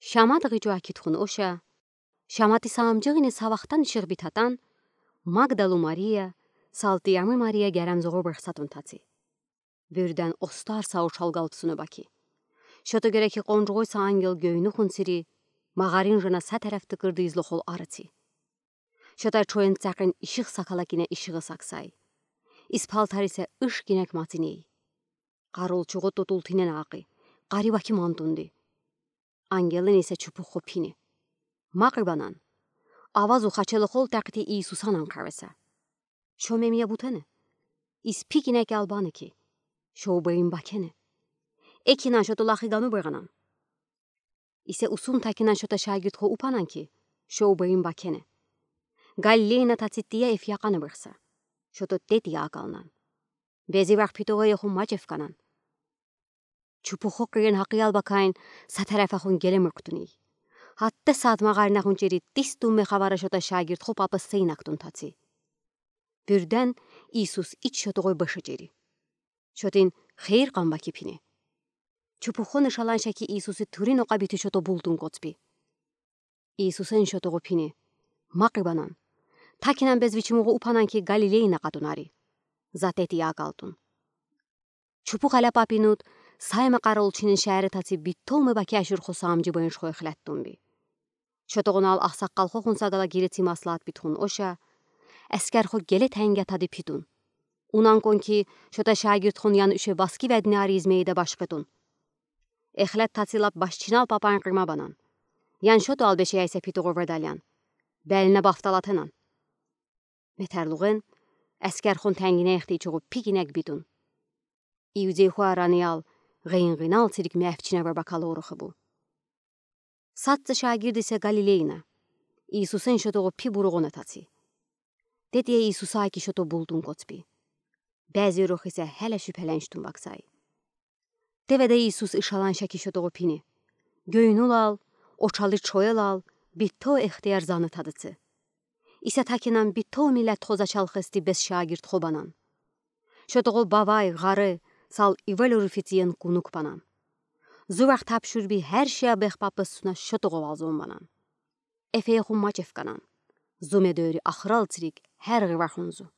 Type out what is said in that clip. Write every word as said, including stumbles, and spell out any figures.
Шамад гиҗуа кит хун оша, Шамати саамжиғини савахтан ишиғ битатан, Магдалу Мария, Салтиями Мария герем зуғур бырхсатун таци. Бирден остар са ушал галпсуна баки. Шото гереки къонжуғой са ангел гёйнухун сири, мағарин жына са тереф тыкырды излохол арыци. Шота чойын цақин ишиғ сакала кине ишиғы саксай. Испал тарисе ыш кинек мациней. Қарулчуғу тутул тинен ақы, қари баки мантунди. Ангелин исе чупух хопини. Мақи банан. Авазу хачелы хол тақти Иисуса нан қарыса. Шо мемия бутене. Из пи кинек албаны ки. Шо бейин бакене. Экинан шото лахи гану быранан. Исе усун такинан шота шагирдхо упанан ки, шо бейин бакене. Галилейна тацития эф яқаны бырса. Шото тетия акалнан. Бези вах питоға яху мачев канан. Чупухо қиен хақиял бакайн са тарафахун гелем ырктуни. Хатта саат мағаринахун чери тис тумме хавара шота шагирдхо папа сыйнактун таци. Бирден Иисус ич шотоғой бышы чери. Шотин хейр қамба кипини. Чупухоны шалан шаки Иисусы турин оқа бити шото бултун коцпи. Иисусын шотоғо пини. Мақи банан. Такинан без вичимуғу упанан ки Галилейна қатунари. Затети акалтун. Чупух аля папинут, сайма қараулчинин шари таци биттолмы баки ашур хосамжи бынш хой хлеттун би. Шотоғунал ахсаққал хохун сагала гиреци маслаат битхун оша, әскер хо геле тәңге тади питун. Унан кон ки, шота шагирдхон ян уше баски ведни ари измейда башқытун. Эхлет тацилап башчинал папан қырма банан. Ян шото албеше яйса питоғо ведалян. Бәліне бафталатынан. Метәрлуғын, әскер хон тәңгіне ихти чоғу пигинек битун. Иудей хуа раниял, ғыйынғынал цирик мәфчіне варбакалы орухы бу. Сатцы шагирдисе Галилейна. Иисусын шотоғу пи буруғына таци. Тетия Иисуса аки шото бултун коцпи. Бәзи рух исе хәлә шүпәләнчтун баксай. Теведе Иисус ышалан шаки шотоғу пини. Гөйнулал, очалы чоялал, битто ихтияр заны тадыцы. Исе такинан битто милет хоза чалхысти без шагирд хобанан. Шотоғу бавай, ғары, сал ивел уруфициен кунук панан. Зувах тапшур би хәр шия бех папыс суна шотоғу валзон банан. Эфеяху мачев канан. Зуме дөрі ахрал цирик хәр ғывахунзу.